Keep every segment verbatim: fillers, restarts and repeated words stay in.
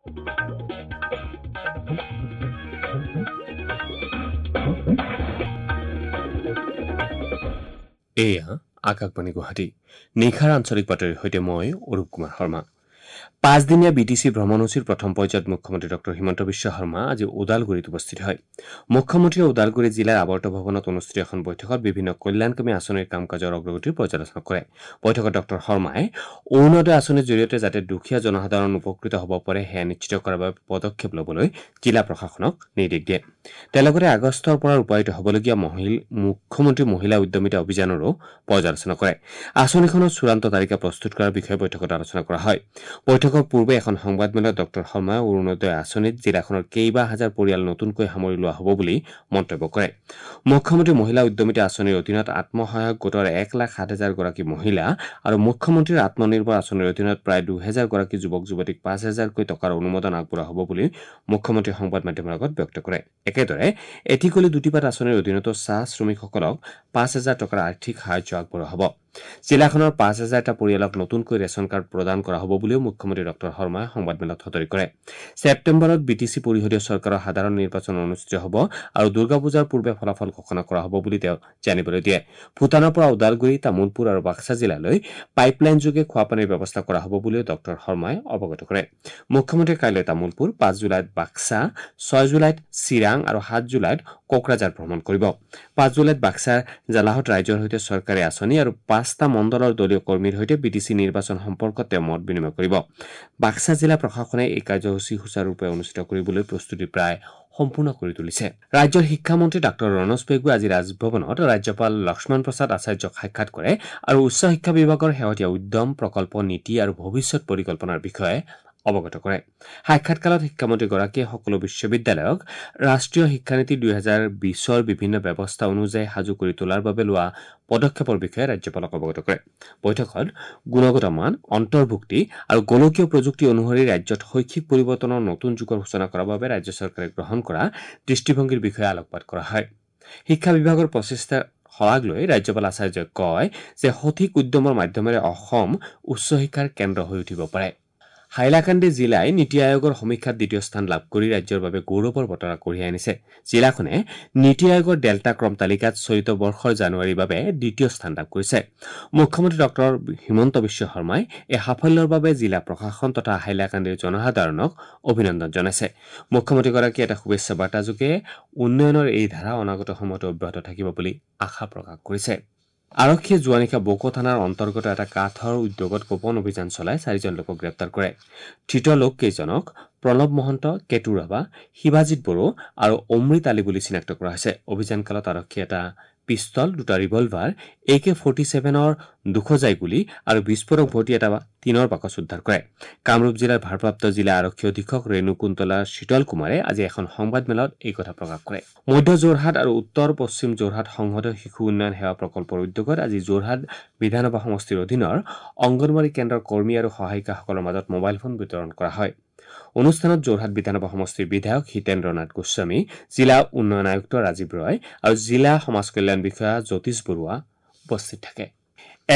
এয়া আকাশবাণী গুৱাহাটী, নিশাৰ আঞ্চলিক বাতৰিৰ সৈতে মই অৰূপ কুমাৰ শৰ্মা। পাঁচদিনীয়া বি টি চি ভ্ৰমণসূচীৰ প্ৰথম পৰ্যায়ত মুখ্যমন্ত্ৰী ডক্টৰ হিমন্ত বিশ্ব শৰ্মা আজি ওদালগুৰিত উপস্থিত হয়। মুখ্যমন্ত্ৰীয়ে ওদালগুৰি জিলাৰ আৱৰ্ত ভৱনত অনুষ্ঠিত এখন বৈঠকত বিভিন্ন কল্যাণকামী আঁচনিৰ কাম কাজৰ অগ্ৰগতিৰ পৰ্যালোচনা কৰে। বৈঠকত ডক্টৰ শৰ্মাই অৰুণোদয় আঁচনিৰ জৰিয়তে যাতে দুখীয়া জনসাধাৰণ উপকৃত হ'ব পাৰে সেয়া নিশ্চিত কৰাৰ বাবে পদক্ষেপ ল'বলৈ জিলা প্ৰশাসনক নিৰ্দেশ দিয়ে। তেওঁ লগতে আগষ্টৰ পৰা ৰূপায়িত হ'বলগীয়া মুখ্যমন্ত্ৰী মহিলা উদ্যমিতা অভিযানৰো পৰ্যালোচনা কৰে। আঁচনিখনৰ চূড়ান্ত তালিকা প্ৰস্তুত কৰাৰ বিষয়ে বৈঠকত আলোচনা কৰা হয়। বৈঠকৰ পূৰ্বে এখন সংবাদমেলত ডক্টৰ শৰ্মাই অৰুণোদয় আঁচনিত জিলাখনৰ কেইবা হাজাৰ পৰিয়াল নতুনকৈ সামৰি লোৱা হ'ব বুলি মন্তব্য কৰে। মুখ্যমন্ত্ৰী মহিলা উদ্যমিতা আঁচনিৰ অধীনত আত্মসহায়ক গোটৰ এক লাখ সাত হাজাৰ গৰাকী মহিলা আৰু মুখ্যমন্ত্ৰীৰ আত্মনিৰ্ভৰ আঁচনিৰ অধীনত প্ৰায় দুহেজাৰ গৰাকী যুৱক যুৱতীক পাঁচ হাজাৰকৈ টকাৰ অনুমোদন আগবঢ়োৱা হ'ব বুলি মুখ্যমন্ত্ৰীয়ে সংবাদ মাধ্যমৰ আগত ব্যক্ত কৰে। একেদৰে এটি কলি দুটি পাত আঁচনিৰ অধীনতো চাহ শ্ৰমিকসকলক পাঁচ হাজাৰ টকাৰ আৰ্থিক সাহায্য আগবঢ়োৱা হ'ব। জিলাখনৰ পাঁচ হাজাৰটা পৰিয়ালক নতুনকৈ ৰেচন কাৰ্ড প্ৰদান কৰা হ'ব বুলিও মুখ্যমন্ত্ৰী ডক্টৰ শৰ্মাই সংবাদমেলত সদৰি কৰে। ছেপ্টেম্বৰত বি টি চি পৰিষদীয় চৰকাৰৰ সাধাৰণ নিৰ্বাচন অনুষ্ঠিত হ'ব আৰু দুৰ্গা পূজাৰ পূৰ্বে ফলাফল ঘোষণা কৰা হ'ব বুলি তেওঁ জানিবলৈ দিয়ে। ভূটানৰ পৰা ওদালগুৰি, তামুলপুৰ আৰু বাক্সা জিলালৈ পাইপলাইনযোগে খোৱাপানীৰ ব্যৱস্থা কৰা হ'ব বুলিও ডক্টৰ শৰ্মাই অৱগত কৰে। মুখ্যমন্ত্ৰীয়ে কাইলৈ তামুলপুৰ, পাঁচ জুলাইত বাক্সা, ছয় জুলাইত চিৰাং আৰু সাত জুলাইত কোকৰাঝাৰ ভ্ৰমণ কৰিব। পাঁচ জুলাইত বাক্সাৰ জালাহত ৰাইজৰ সৈতে চৰকাৰী আঁচনি আৰু পাঁচটা মণ্ডলৰ দলীয় কৰ্মীৰ সৈতে বি টি চি নিৰ্বাচন সম্পৰ্কত তেওঁ মত বিনিময় কৰিব। বাক্সা জিলা প্ৰশাসনে এই কাৰ্যসূচী সুচাৰুৰূপে অনুষ্ঠিত কৰিবলৈ প্ৰস্তুতি প্ৰায় সম্পূৰ্ণ কৰি তুলিছে। ৰাজ্যৰ শিক্ষামন্ত্ৰী ডাঃ ৰণোজ পেগুৱে আজি ৰাজভৱনত ৰাজ্যপাল লক্ষ্মণ প্ৰসাদ আচাৰ্যক সাক্ষাৎ কৰে আৰু উচ্চ শিক্ষা বিভাগৰ শেহতীয়া উদ্যম, প্ৰকল্প, নীতি আৰু ভৱিষ্যত পৰিকল্পনাৰ বিষয়ে অৱগত কৰে। সাক্ষাৎকালত শিক্ষামন্ত্ৰীগৰাকীয়ে সকলো বিশ্ববিদ্যালয়ক ৰাষ্ট্ৰীয় শিক্ষানীতি দুহেজাৰ বিছৰ বিভিন্ন ব্যৱস্থা অনুযায়ী সাজু কৰি তোলাৰ বাবে লোৱা পদক্ষেপৰ বিষয়ে ৰাজ্যপালক অৱগত কৰে। বৈঠকত গুণগত মান, অন্তৰ্ভুক্তি আৰু গোলকীয় প্ৰযুক্তি অনুসৰি ৰাজ্যত শৈক্ষিক পৰিৱৰ্তনৰ নতুন যুগৰ সূচনা কৰাৰ বাবে ৰাজ্য চৰকাৰে গ্ৰহণ কৰা দৃষ্টিভংগীৰ বিষয়ে আলোকপাত কৰা হয়। শিক্ষা বিভাগৰ প্ৰচেষ্টাৰ শলাগ লৈ ৰাজ্যপাল আচাৰ্যই কয় যে সঠিক উদ্যমৰ মাধ্যমেৰে অসম উচ্চ শিক্ষাৰ কেন্দ্ৰ হৈ উঠিব পাৰে। হাইলাকান্দি জিলাই নীতি আয়োগৰ সমীক্ষাত দ্বিতীয় স্থান লাভ কৰি ৰাজ্যৰ বাবে গৌৰৱৰ বতৰা কঢ়িয়াই আনিছে। জিলাখনে নীতি আয়োগৰ ডেল্টা ক্ৰম তালিকাত চলিত বৰ্ষৰ জানুৱাৰীৰ বাবে দ্বিতীয় স্থান লাভ কৰিছে। মুখ্যমন্ত্ৰী ডক্টৰ হিমন্ত বিশ্ব শৰ্মাই এই সাফল্যৰ বাবে জিলা প্ৰশাসন তথা হাইলাকান্দিৰ জনসাধাৰণক অভিনন্দন জনাইছে। মুখ্যমন্ত্ৰীগৰাকীয়ে এটা শুভেচ্ছা বাৰ্তাযোগে উন্নয়নৰ এই ধাৰা অনাগত সময়তো অব্যাহত থাকিব বুলি আশা প্ৰকাশ কৰিছে। আৰক্ষীয়ে যোৱা নিশা বকো থানাৰ অন্তৰ্গত এটা কাঠৰ উদ্যোগত গোপন অভিযান চলাই চাৰিজন লোকক গ্ৰেপ্তাৰ কৰে। ধৃত লোককেইজনক প্ৰণৱ মহন্ত, কেতু ৰাভা, শিৱাজিত বড়ো আৰু অমৃত আলী বুলি চিনাক্ত কৰা হৈছে। অভিযানকালত আৰক্ষীয়ে এটা পিষ্টল, দুটা ৰিভলভাৰ, এ কে ফৰ্টি ছেভেনৰ দুশ জাই গুলী আৰু বিস্ফোৰক ভৰ্তি এটা টিনৰ বাকচ উদ্ধাৰ কৰে। কামৰূপ জিলাৰ ভাৰপ্ৰাপ্ত জিলা আৰক্ষী অধীক্ষক ৰেণু কুন্তলা শীতল কুমাৰে আজি এখন সংবাদমেলত এই কথা প্ৰকাশ কৰে। মধ্য যোৰহাট আৰু উত্তৰ পশ্চিম যোৰহাট সংহত শিশু উন্নয়ন সেৱা প্ৰকল্পৰ উদ্যোগত আজি যোৰহাট বিধানসভা সমষ্টিৰ অধীনৰ অংগনৱাড়ী কেন্দ্ৰৰ কৰ্মী আৰু সহায়িকাসকলৰ মাজত মোবাইল ফোন বিতৰণ কৰা হয়। অনুষ্ঠানত যোৰহাট বিধানসভা সমষ্টিৰ বিধায়ক হিতেন্দ্ৰ নাথ গোস্বামী, জিলা উন্নয়ন আয়ুক্ত ৰাজীৱ ৰয় আৰু জিলা সমাজ কল্যাণ বিষয়া জ্যোতিষ বৰুৱা উপস্থিত থাকে।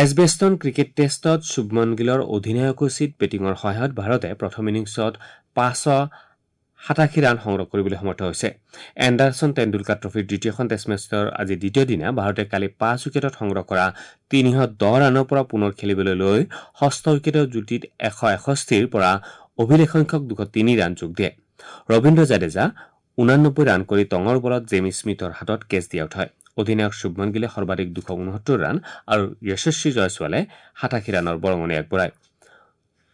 এজবেষ্টন ক্ৰিকেট টেষ্টত শুভমন গিলৰ অধিনায়কোচিত বেটিঙৰ সহায়ত ভাৰতে প্ৰথম ইনিংছত পাঁচশ সাতাশী ৰান সংগ্ৰহ কৰিবলৈ সমৰ্থ হৈছে। এণ্ডাৰছন টেণ্ডুলকাৰ ট্ৰফীৰ দ্বিতীয়খন টেষ্ট মেচৰ আজি দ্বিতীয় দিনা ভাৰতে কালি পাঁচ উইকেটত সংগ্ৰহ কৰা তিনিশ দহ ৰানৰ পৰা পুনৰ খেলিবলৈ লৈ ষষ্ঠ উইকেটৰ যুটিত এশ এষষ্ঠিৰ পৰা অভিলেখ সংখ্যক দুশ তিনি ৰান যোগ দিয়ে। ৰবীন্দ্ৰ জাদেজা ঊনানব্বৈ ৰান কৰি টঙৰ বলত জেমি স্মিথৰ হাতত কেচ দি আউট হয়। অধিনায়ক শুভমন গিলে সৰ্বাধিক দুশ ঊনসত্তৰ ৰান আৰু যশস্বী জয়ছোৱালে সাতাশী ৰানৰ বৰঙণি আগবঢ়ায়।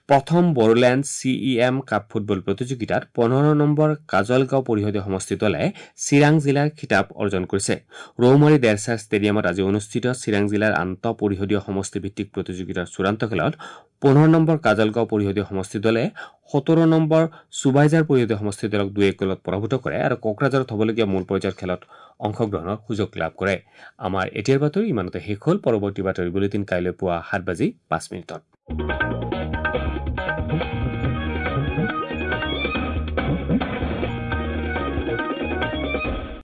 প্ৰথম Bodoland C E M cup football প্ৰতিযোগিতাত পোন্ধৰ নম্বৰ কাজলগাঁও পৰিষদীয় সমষ্টি দলে চিৰাং জিলাৰ খিতাপ অৰ্জন কৰিছে। ৰৌমাৰী দেৰচা ষ্টেডিয়ামত আজি অনুষ্ঠিত চিৰাং জিলাৰ আন্তঃ পৰিষদীয় সমষ্টিভিত্তিক প্ৰতিযোগিতাৰ চূড়ান্ত খেলত পোন্ধৰ নম্বৰ কাজলগাঁও পৰিষদীয় সমষ্টি দলে সোতৰ নম্বৰ সুবাইজাৰ পৰিষদীয় সমষ্টি দলক দুই এক গ'লত পৰাভূত কৰে আৰু কোকৰাঝাৰত হ'বলগীয়া মূল পৰ্যায়ৰ খেলত অংশগ্ৰহণৰ সুযোগ লাভ কৰে। আমাৰ এতিয়াৰ বাতৰি ইমানতে শেষ হ'ল। পৰৱৰ্তী বাতৰি বুলেটিন কাইলৈ পুৱা সাত বাজি পাঁচ মিনিটত।